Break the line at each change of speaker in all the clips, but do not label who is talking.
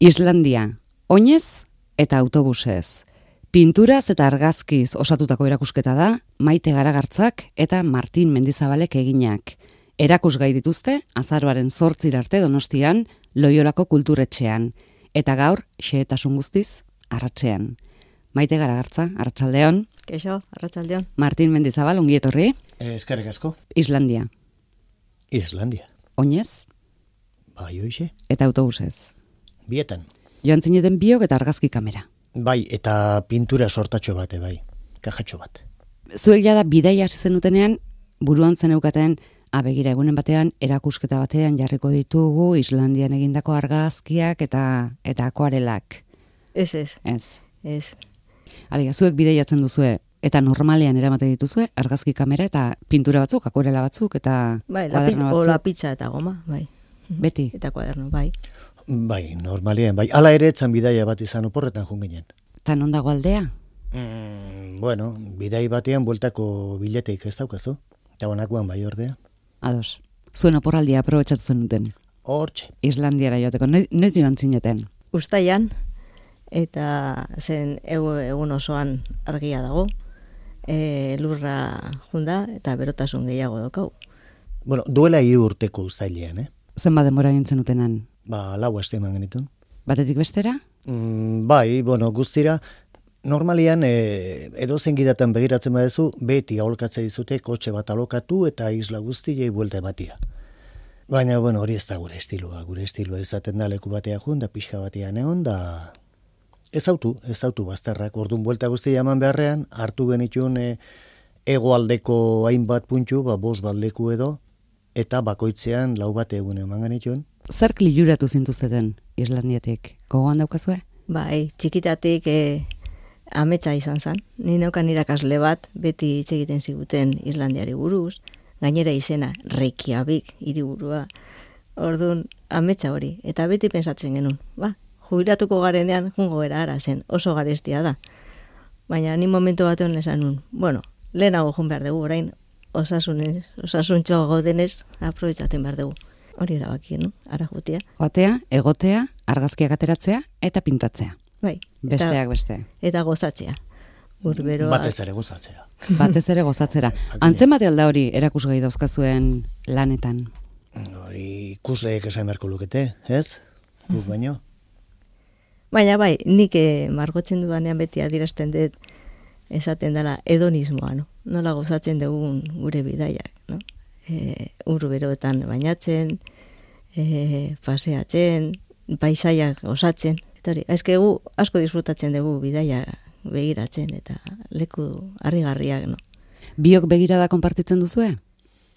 Islandia, oinez eta autobusez. Pinturaz eta argazkiz osatutako erakusketa da, Maite Garagartzak eta Martin Mendizabalek eginak. Erakusgai dituzte, azaroaren 8 arte Donostian, Loiolako kulturetxean. Eta gaur, xehetasun guztiz, arratsean. Maite Garagartza, arratsaldeon.
Keixo, arratsaldeon.
Martin Mendizabal, ongi etorri.
Eskerrik asko.
Islandia.
Islandia.
Oinez
Bai, hoixe.
eta autobusez.
Bietan.
Joan zineten biok eta argazki kamera.
Bai, eta pintura sortatxo bate, bai. Kajatxo bat.
Zuek jada bidaia hasi zenutenean, buruan zeneukaten, begira egunen batean, erakusketa batean jarriko ditugu Islandian egindako argazkiak eta akuarelak.
Ez.
Alegia, zuek bidaiatzen duzue, eta normalean eramate dituzue, argazki kamera eta pintura batzuk, akuarela batzuk, eta
Bai,
kuaderno batzuk.
lapitza eta goma, bai.
Beti.
Eta kuaderno, bai.
Bai, normalean, bai. Hala ere etzan bidaia bat izan oporretan jun ginen.
Eta non dago aldea?
Bueno, bidai batean bueltako bileteik ez daukazu. Eta honakoan bai ordea.
Ados. Zuen oporraldia aprobetxatu zenuten.
Hortxe.
Islandiara joateko. Noiz joan zineten?
Uztaian, eta zen egun osoan argia dago, lurra junda eta berotasun gehiago daukau.
Bueno, duela 3 urteko uztailean,
Zenbat denbora egin zenutenan?
4 aste eman genitun.
Batetik bestera?
Bai, bueno, guztira, normalian edozen gidatan begiratzen badezu, beti aholkatze dizute kotxe bat alokatu eta isla guztiei buelta ematia. Baina, bueno, hori ez da gure estiloa. Gure estiloa ezaten da leku batea jun, da pixka batean egon, da ez autu bazterrak. Orduan buelta guztia eman beharrean, hartu genitun hegoaldeko hainbat puntu, 5 bat leku edo, eta bakoitzean 4 bat egun eman genitun.
Zerk liluratu zintuzteten Islandiatik? Gogoan daukazue?
Bai, txikitatik ametsa izan zen. Ni neukan irakasle bat, beti hitz egiten ziguten Islandiari buruz, gainera izena Reykjavik hiriburua. Orduan, ametsa hori, eta beti pensatzen genuen, jubilatuko garenean jungo gara ara zen, oso garestia da. Baina ni momentu batean esan nun, lehenago jun behar dugu, orain osasuntxoa gaudenez, aprobetxaten behar dugu. Hori erabakien, ara jutia.
Joatea, egotea, argazkiak ateratzea eta pintatzea.
Bai.
Besteak beste.
Eta gozatzea. Urberoa.
Batez ere gozatzea.
Batez ere gozatzera. Antzemate alda hori erakusgai dauzkazuen lanetan?
Hori ikusleek esan beharko lukete, ez? Guk baino.
Baina bai, nik margotzen dudanean beti adierazten dut esaten dela hedonismoa, no? Nola gozatzen dugun gure bidaiak, no? Urberoetan bainatzen, paseatzen, paisaiak osatzen. Eta hori, gu asko disfrutatzen dugu bidaia begiratzen eta leku harrigarriak, no?
Biok begirada konpartitzen duzue?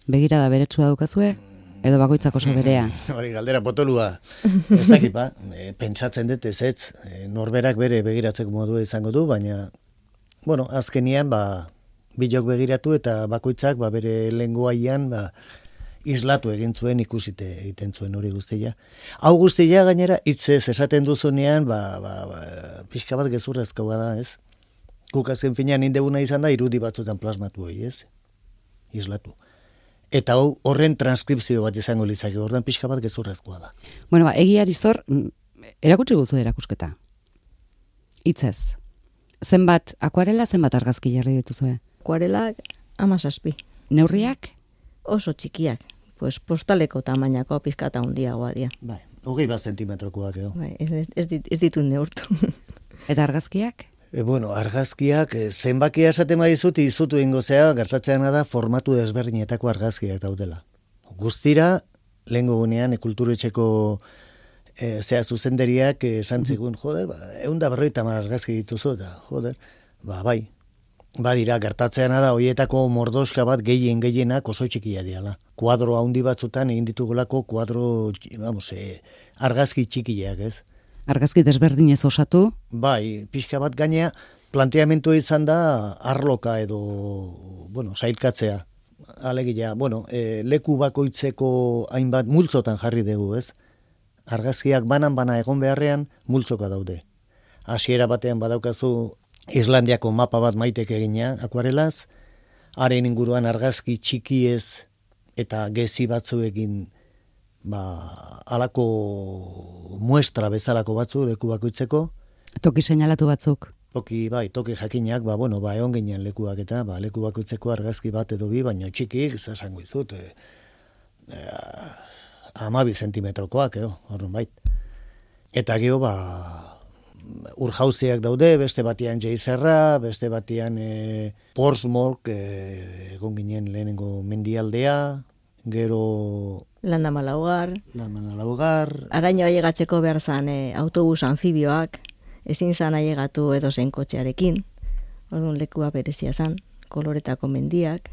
Begirada beretsua daukazue? Edo bakoitzak oso berea?
Hori galdera potolua. Ez dakit, pentsatzen dut ez, norberak bere begiratzeko modua izango du, baina, azkenian, bilok begiratu eta bakoitzak bere lenguaian islatu egin zuen ikusite egiten zuen hori guztia. Hau guztia gainera hitzez esaten duzunean pixka bat gezurrezkoa da, ez? Guk azken finean indeguna izan da irudi batzutan plasmatu hori, ez? Islatu. Eta horren transkripzio bat izango litzake, ordan pixka bat gezurrezkoa da.
Egiari zor, erakutsi guzu erakusketa. Hitzez. Zenbat akuarela, zenbat argazki jarri dituzue?
Akuarelak 17.
Neurriak?
Oso txikiak. Postaleko tamainako pizkata handiagoa dira.
Bai, 21 zentimetrokoak edo.
Bai, ez ditut neurtu.
Eta argazkiak?
Argazkiak, zenbakia esaten badizut izutu ingo zea, gertatzeana da formatu desberdinetako argazkiak daudela. Guztira, lehengo gunean, kulturetxeko zuzenderiak esan zigun, 150 argazki dituzu, eta bai. Badira, gertatzeana da, hoietako mordoska bat gehienak oso txikia diala. Kuadro handi batzutan egin ditugolako argazki txikiak, ez?
Argazki desberdinez osatu?
Bai, pixka bat gainea, planteamentu izan da arloka edo, sailkatzea. Alegia, leku bakoitzeko hainbat multzotan jarri dugu, ez? Argazkiak bana egon beharrean multzoka daude. Hasiera batean badaukazu Islandiako mapa bat Maitek egina, akuarelaz, haren inguruan argazki txikiez eta gezi batzuekin alako muestra bezalako batzu leku bakoitzeko.
Toki seinalatu batzuk.
Toki jakinak, egon ginen lekuak eta, leku bakoitzeko argazki bat edo bi, baina txikik, zasango izut, 12 zentimetrokoak, horren bait. Eta gero, urjauziak daude, beste batian Geizerra, beste batian Portsmouth, egon ginen lehenengo mendialdea, gero...
Landa Malaugar.
Araño
ailegatzeko behar zan autobus anfibioak, ezin zan ailegatu edo zein kotxearekin, orduan lekua berezia zan, koloretako mendiak,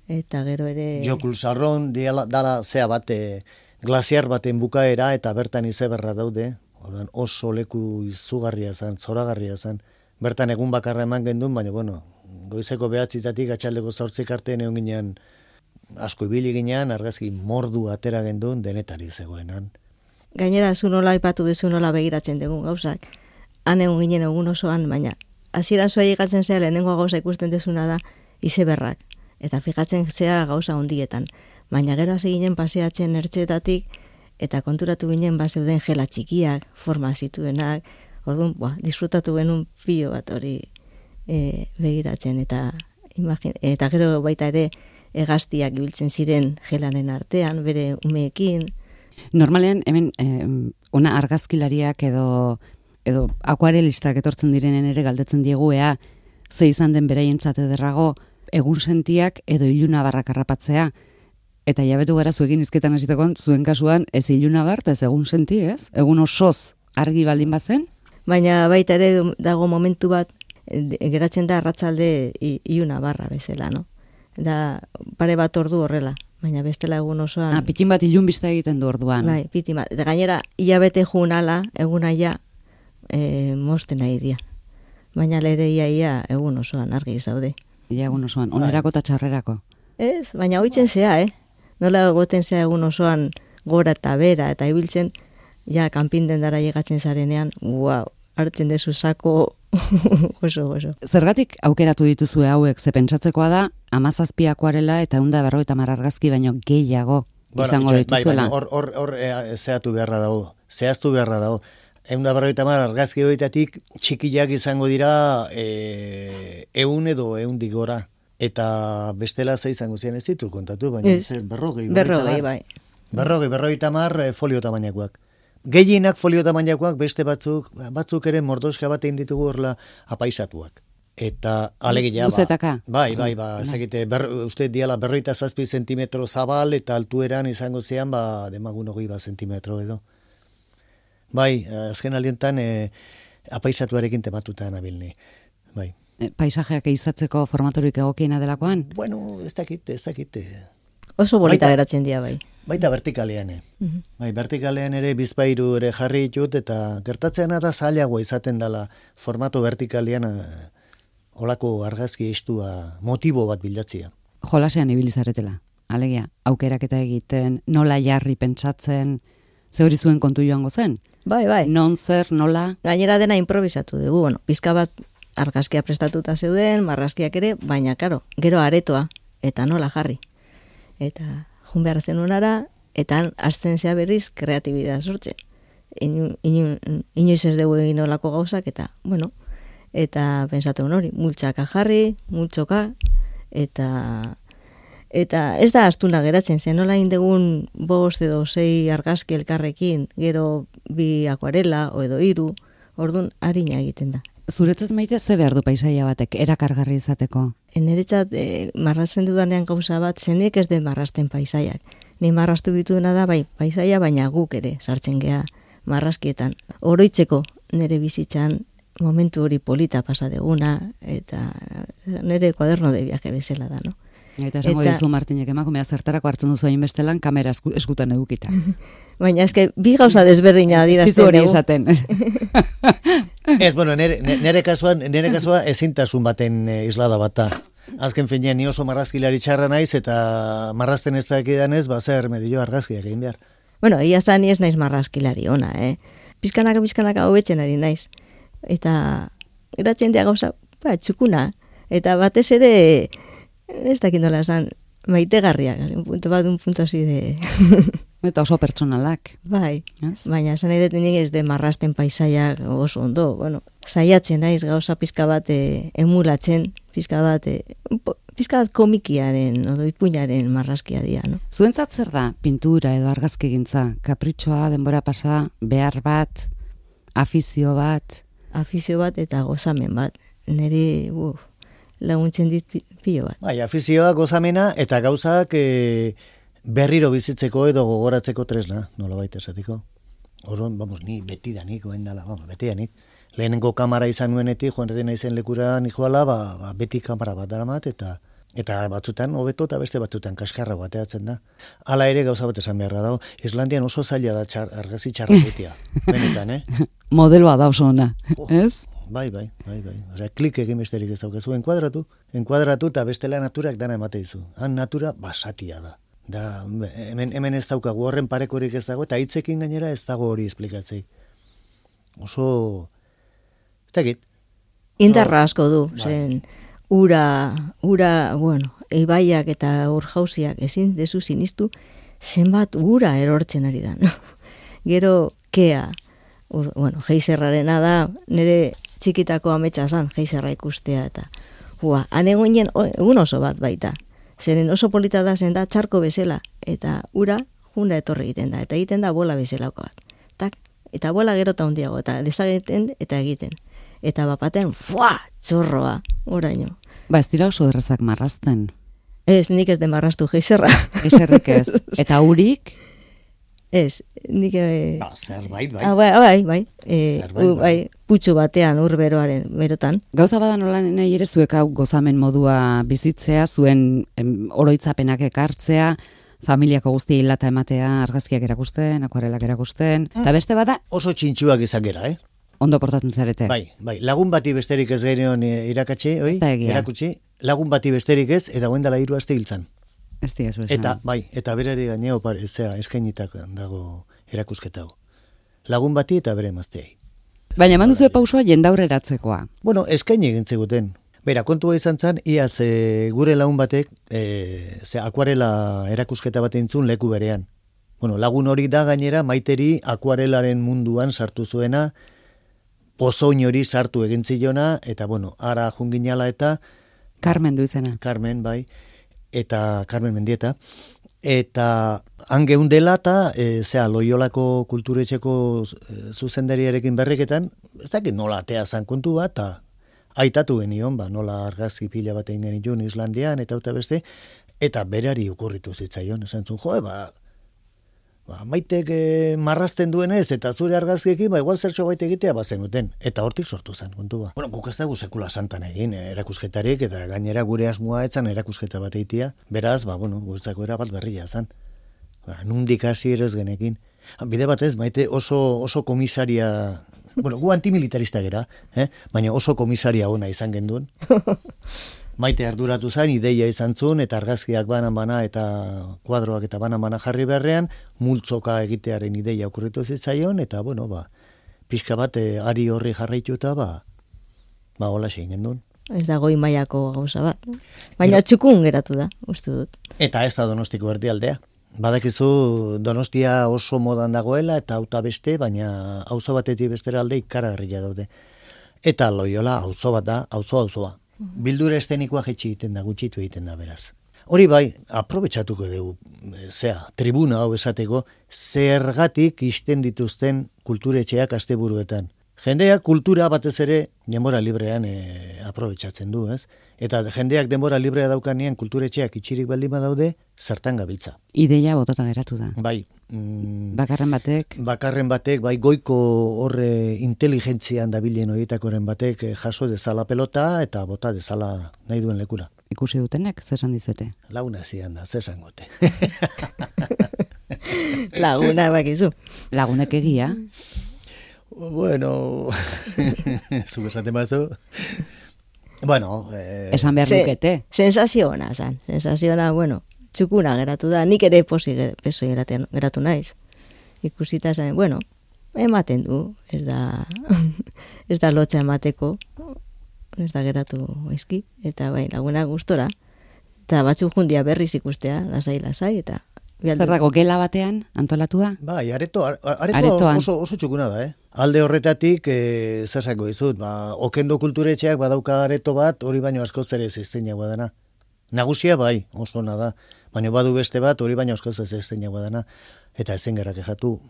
eta gero ere...
Jokulsarron, dala zea bate, glaziar baten bukaera, eta bertan izeberra daude, orduan oso leku izugarria zan, zoragarria zan, bertan egun bakarra eman gendun, baina, goizeko 9 atxaldeko 8 arte egon ginean, asko ibili ginean, argazki mordu atera gendun, denetari zegoenan.
Gainera, zu nola aipatu duzu nola begiratzen dugun gauzak. Han egun ginen egun osoan, baina hasieran zua llegatzen zea lehenengoa gauza ikusten dezuna da izeberrak. Eta fijatzen zea gauza ondietan. Baina gero hasi ginen paseatzen ertxetatik eta konturatu ginen zeuden gela txikiak, forma zituenak. Orduan, disfrutatu genuen pilo bat hori begiratzen. Eta gero baita ere hegaztiak ibiltzen ziren gelanen artean, bere umeekin.
Normalean, hemen, ona argazkilariak edo akuarelistak etortzen direnen ere galdetzen diegu ea, ze izan den beraientzat ederrago, egun sentiak edo ilunabarrak harrapatzea. Eta jabetu gara zuekin izketan hasitekon, zuen kasuan ez ilunabart, ez egun senti, ez? Egun osoz argi baldin bazen?
Baina baita ere dago momentu bat, geratzen da arratsalde ilunabarra bezala, no? Da pare bat ordu horrela. Baina bestela egun osoan...
pitin bat ilun bizta egiten du orduan.
Bai, pitin bat. Eta gainera, hilabete juun ala, egun aia, mosten nahi dia. Baina lere ia egun osoan argi zaude.
Ia egun osoan, onerako eta txarrerako.
Ez, baina hoitzen zea, Nola egoten zea egun osoan gora eta bera, eta ibiltzen, ja, kanpinden dara llegatzen zarenean, hartzen dezu sako oso.
Zergatik aukeratu dituzue hauek, ze pentsatzekoa da, 17 akuarela eta 150 argazki baino gehiago izango dituzuela.
Hor zehaztu beharra dago. 150 argazki horietatik txikiak izango dira 100 edo 100 gora. Eta bestela ze izango zian ez ditu kontatu, baina berrogei,
bai.
Berrogei tamar folio tamainakoak. Gehienak folio tamainakoak, beste batzuk ere mordoska bat egin ditugu horrela apaisatuak. Eta alegia
Luzetaka?
Bai, ezakite, uste diala 57 zentimetro zabal, eta altueran izango zean, demagun 20 zentimetro edo. Bai, azken aliontan apaisatuarekin tematuta nabilni. Bai.
Paisajeak izatzeko formatorik egokiena delakoan?
Bueno, ez dakite.
Oso bolita geratzen dira, bai.
Baita vertikalean, Bai, vertikalean ere bizpairu ere jarri ditut, eta gertatzen da zailagoa izaten dela formato vertikalean olako argazki istua motibo bat bilatzea.
Jolasean ibilizaretela, alegia, aukeraketa egiten, nola jarri pentsatzen, ze hori zuen kontu joango zen?
Bai.
Non zer, nola?
Gainera dena improvisatu dugu, pizka bat argazkia prestatuta zeuden, marrazkiak ere, baina, karo, gero aretoa, eta nola jarri. Eta jun behar zenunara, eta hasten zea berriz kreatibidea sortzen. Inoiz ez dugu egin olako gauzak, eta, eta pensatu hori, multxaka jarri, multxoka, eta ez da astuna geratzen, zen nola indegun 5 edo 6 argazki elkarrekin, gero 2 akuarela, edo 3, orduan harina egiten da.
Zuretzat Maite, ze behar du paisaia batek erakargarri izateko?
Niretzat marrazten dudanean gauza bat, zenek ez den marrazten paisaiak. Ni marraztu bituna da, bai, paisaia, baina guk ere sartzen gea marrazkietan. Oroitzeko nire bizitzan momentu hori polita pasa deguna, eta nire kuaderno de viaje bezala da, no?
Eta esango dizu Martinek emakumea zertarako hartzen duzu hain bestelan kamera eskutan edukita.
Baina eske bi gauza desberdina adierazten
hori esaten.
Ez, nire kasua ezintasun baten islada bata. Azken finean ni oso marrazkilari txarra naiz eta marrazten ez dakidan ez, zer medio argazkiak egin behar.
Ia zan ni ez naiz marrazkilari ona, Pizkanaka hobetzen ari naiz. Eta geratzen dia gauza, txukuna. Eta batez ere ez dakit nola esan, maitegarriak, un punto así de...
Eta oso pertsonalak.
Bai,
Ez?
baina esan nahi dut nik ez de marrasten paisaiak oso ondo. Bueno, saiatzen naiz gauza pizka bat emulatzen, pizka bat komikiaren, edo ipuinaren marrazkia dira, no?
Zuentzat zer da pintura edo argazkigintza? Kapritxoa, denbora pasa, behar bat, afizio bat?
Afizio bat eta gozamen bat. Niri, laguntzen dit pilo bat.
Bai, afizioa, gozamena eta gauzak berriro bizitzeko edo gogoratzeko tresna, nola baita esatiko. Orduan, ni betidanik, betidanik. Lehenengo kamara izan nuenetik, joan redena izen lekura nijoala, beti kamara bat daramat, eta batzutan hobeto eta beste batzutan kaskarra bateatzen da. Hala ere gauza bat esan beharra dago, Islandian oso zaila da argazi txarra betia. Benetan,
Modeloa da oso ona, ez?
Bai. Osea, klik egin besterik ez daukazu, enkuadratu eta bestela naturak dana emate dizu. Han natura basatia da. Da, hemen ez daukagu horren parekorik ez dago, eta hitzekin gainera ez dago hori esplikatzei. Oso, ez dakit.
Indarra asko du, zen ura, ibaiak eta urjauziak ezin dezu sinistu, zenbat ura erortzen ari da. No? Gero, kea, geizerrarena da, nire txikitako ametsa zan, geizerra ikustea, eta han egoinen egun oso bat baita. Zeren oso polita da zen da txarko bezala, eta ura junda etorri egiten da, eta egiten da bola bezalako bat. Tak, eta bola gero eta handiago, eta desageten eta egiten. Eta bapaten, txorroa, oraino.
Ez dira oso errazak marrazten.
Ez, nik ez de marraztu geizerra.
Geizerrik ez. Eta urik?
Ez, nik...
Zerbait,
bai.
Bai.
Putxu batean, berotan.
Gauza badan nola nahi ere zuek hau gozamen modua bizitzea, zuen oroitzapenak ekartzea, familiako guzti hilata ematea, argazkiak erakusten, akuarelak erakusten, eta beste bada...
Oso txintxuak izan gera,
Ondo portatzen zarete.
Bai, lagun bati besterik ez gainean irakatsi, erakutsi, lagun bati besterik ez, eta goen dela 3 aste hiltzan.
Ez diazu esan.
Eta berari gaineo eskainitak dago erakusketa hau. Lagun bati eta bere emazteei.
Baina eman duzu pausoa jendaurreratzekoa.
Eskaini egin zeguten. Bera, kontua izan zen, iaz gure lagun batek akuarela erakusketa bat entzun leku berean. Lagun hori da gainera maiteri akuarelaren munduan sartu zuena, pozoin hori sartu egin zilona, eta ara junginala eta...
Carmen du izena.
Carmen, bai. Eta Carmen Mendieta, eta han geundela eta Loiolako kulturetxeko zuzendariarekin berriketan, ez dakit nola atea zan kontu bat, eta aitatu genion, nola argazki pila bat egin genitun Islandian, eta beste, eta berari okurritu zitzaion, esan zuen, maitek marrazten duenez, eta zure argazkiekin, igual zertxo baita egitea bazenuten, eta hortik sortu zen, kontu ba. Guk ez dugu sekula santan egin erakusketarik, eta gainera gure asmoa etzan erakusketa bat eitia, beraz, guretzako era bat berria zen. Nundik hasi ere ez genekin. Bide batez, maite oso komisaria, gu antimilitarista gera, baina oso komisaria ona izan genduen. Maite arduratu zain, ideia izan zuen, eta argazkiak banan-bana eta kuadroak eta banan-bana jarri beharrean, multzoka egitearen ideia okurritu zitzaion, eta, pixka bat ari horri jarraitu eta, hola zein gendun.
Ez da goi mailako gauza bat. Baina txukun geratu da, uste dut.
Eta ez da Donostiko erdialdea. Badakizu Donostia oso modan dagoela, eta auta beste, baina auzo batetik bestera alde ikaragarria daude. Eta Loiola auzo bat da, auzoa. Bildura estenikoa jetxi egiten da, gutxitu egiten da, beraz. Hori bai, aprobetxatuko dugu, tribuna hau esateko, zergatik isten dituzten kulturetxeak asteburuetan. Jendeak kultura batez ere denbora librean aprobetxatzen du, ez? Eta jendeak denbora librea daukanean kulturetxeak itxirik baldin badaude, zertan gabiltza.
Ideia botata geratu da.
Bai.
Bakarren
batek, bai goiko horre inteligentzian dabilen horietakoren batek jaso dezala pelota eta bota dezala nahi duen lekura.
Ikusi dutenek, zesan dizuete?
Laguna zian da, zesan gote.
Laguna bakizu.
Lagunek egia.
Zuk esaten batzu.
Esan behar dukete.
Sensazio ona, txukuna geratu da, nik ere posi geratu naiz. Ikusita zen, ematen du, ez da lotxa emateko, ez da geratu eski, eta laguna gustora, eta batzuk jundia berriz ikustea, lasai, eta
Zer dago, gela batean antolatua?
Bai, aretoan.
Aretoan.
Oso txukuna da, Alde horretatik, zer esango dizut, Okendo kulturetxeak badauka areto bat, hori baino askoz ere zizteinagoa dana. Nagusia bai, oso ona da, baina badu beste bat, hori baino askoz zizteinagoa dana, eta ezen gerra kejatu.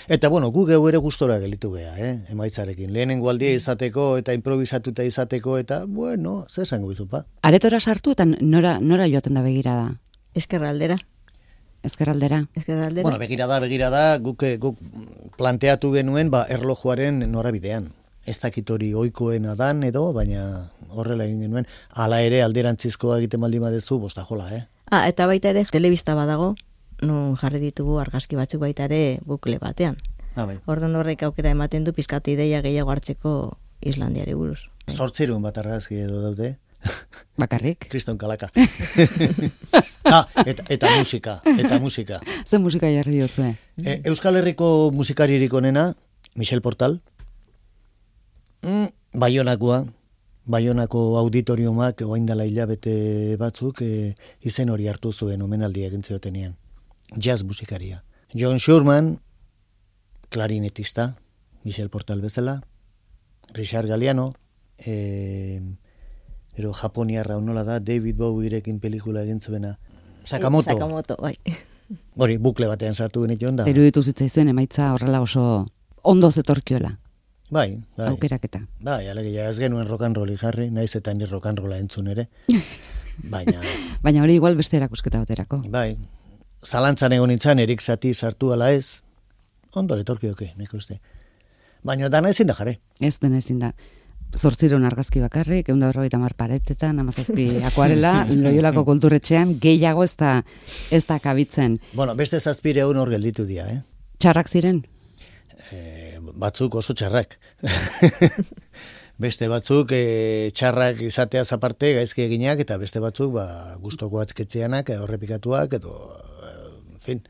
Eta, bueno, gu geu ere gustora gelitu geha, emaitzarekin. Lehenengo aldia izateko eta improvisatuta izateko, eta, bueno, zer esango dizut, ba?
Aretora sartu eta nora joaten da begirada?
Ezkerraldera.
Ezkerraldera.
Bueno, begirada, guk planteatu genuen, erlojuaren norabidean. Ez dakit hori ohikoena dan edo, baina horrela egin genuen. Hala ere alderantzizkoa egiten baldin badezu, bostajola,
Eta baita ere, telebista badago, nun jarri ditugu argazki batzuk baita ere bukle batean.
Bai.
Orduan horrek aukera ematen du pizkat ideia gehiago hartzeko Islandiari buruz.
800 bat argazki edo daude.
Bakarrik?
Kriston kalaka. Eta musika.
Zer musika jarri diozue?
Euskal Herriko musikaririk onena, Michel Portal. Baionako auditoriomak orain dela hilabete batzuk izen hori hartu zuen omenaldia egin ziotenean. Jazz musikaria. John Shurman, klarinetista, Michel Portal bezala, Richard Galliano, ero japoniarra nola da, David Bowierekin pelikula egin zuena. Sakamoto,
bai.
Hori, bukle batean sartu genituen da.
Eruditu zitzaizuen emaitza horrela oso ondo zetorkiola.
Bai.
Aukeraketa.
Bai, alegia ez genuen rock and rolli jarri, naiz eta ni rock and rolla entzun ere.
Baina hori igual beste erakusketa baterako.
Bai. Zalantzan egon nintzen, Erik Satie sartu ala ez. Ondo letorkioke, nik uste. Baina dana ezin da jarri.
Ez dena ezin da. 800 argazki bakarrik, 150 paretetan, 17 akuarela, Loiolako kulturetxean, gehiago ez da kabitzen.
Bueno, beste 700 hor gelditu dira,
Txarrak ziren?
Batzuk oso txarrak. Beste batzuk txarrak izateaz aparte gaizki eginak, eta beste batzuk gustoko atzketzeanak, horrepikatuak, edo, en fin.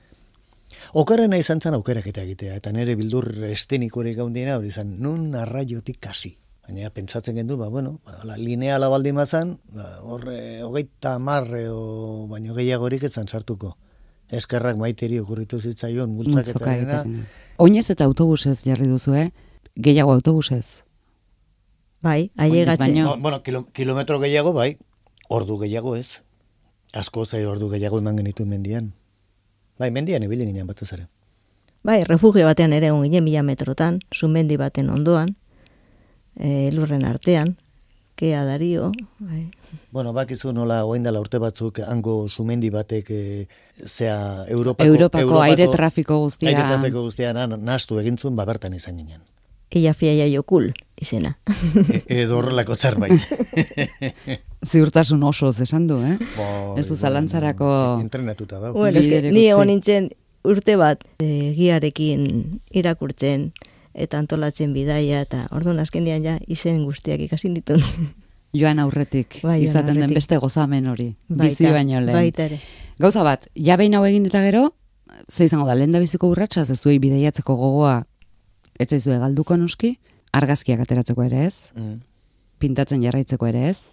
Okarrena izan zen aukeraketa egitea, eta nire bildur estenikorik gaundiena hori izan, nun arraiotik kasi. Baina pentsatzen gendu, lineala baldin mazan, horre 30 o baino gehiagorik etzan sartuko. Eskerrak Maiteri okurritu zitzaion multzaketarena.
Oinez eta autobusez jarri duzu, gehiago autobusez?
Bai, ailegatzen.
Bueno, kilometro gehiago, bai, ordu gehiago ez. Asko zai ordu gehiago eman genituen mendian. Bai, mendian ibili ginen batez ere.
Bai, refugio batean ere egon ginen 1000 metrotan, sumendi baten ondoan, lurren artean, Kea Dario. Bai.
Bueno, bakizu nola orain dela urte batzuk hango sumendi batek Europako
aire trafiko guztia.
Aire trafiko guztia nahastu egintzun, bertan izan ginen.
Ella fiaia jokul izena.
Edo horrelako zerbait.
Ziurtasun oso esan du, ez du zalantzarako
entrenatuta da.
Bueno, ni egon nintzen urte bat giarekin irakurtzen eta antolatzen bidaia, eta orduan azkenean ja izen guztiak ikasi ditun.
Joan aurretik, izaten den beste gozamen hori, bizi baino lehen.
Baita ere.
Gauza bat, ja behin hau egin eta gero, ze izango da, lehen da biziko urratsa, zezuei bidaiatzeko gogoa, ez zaizue galduko noski, argazkiak ateratzeko ere ez, pintatzen jarraitzeko ere ez,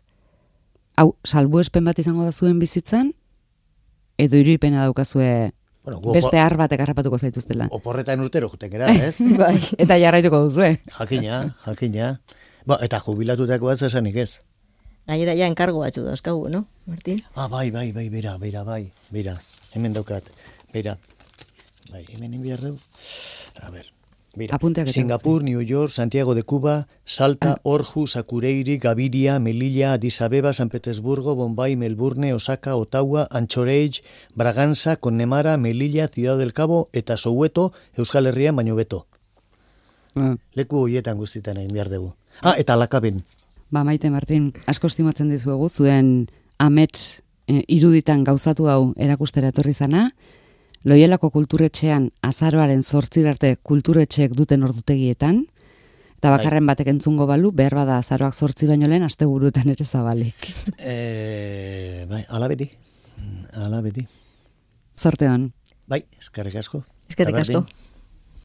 hau, salbuespen bat izango da zuen bizitzan, edo irudipena daukazue beste har batek harrapatuko zaituztela.
Oporretan urtero juten gara, ez?
Bai.
Eta jarraituko duzue.
Jakina. Eta jubilatutako ez esanik ez.
Gainera ja enkargo batzu dauzkagu, no, Martin?
Bai, bera. Hemen daukat, bera. Bai, hemen enbiar dugu. A ber, bera. Singapur, New York, Santiago de Cuba, Salta, Aarhus, Akureyri, Gaviria, Melilla, Addis Abeba, San Petersburgo, Bombay, Melbourne, Osaka, Ottawa, Anchorage, Braganza, Connemara, Melilla, Ciudad del Cabo, eta Soweto, Euskal Herrian baino beto. Leku horietan guztietan egin behar dugu. Eta Lakaben.
Maite Martin, asko estimatzen dizuegu, zuen amets iruditan gauzatu hau erakustera etorri zana, Loiolako kulturetxean azaroaren 8 arte kulturetxeek duten ordutegietan, eta bakarren batek entzungo balu, behar bada azaroak 8 baino lehen asteburuetan ere zabalik.
Ala beti.
Zorte hon.
Bai, eskerrik asko.
Eskerrik asko.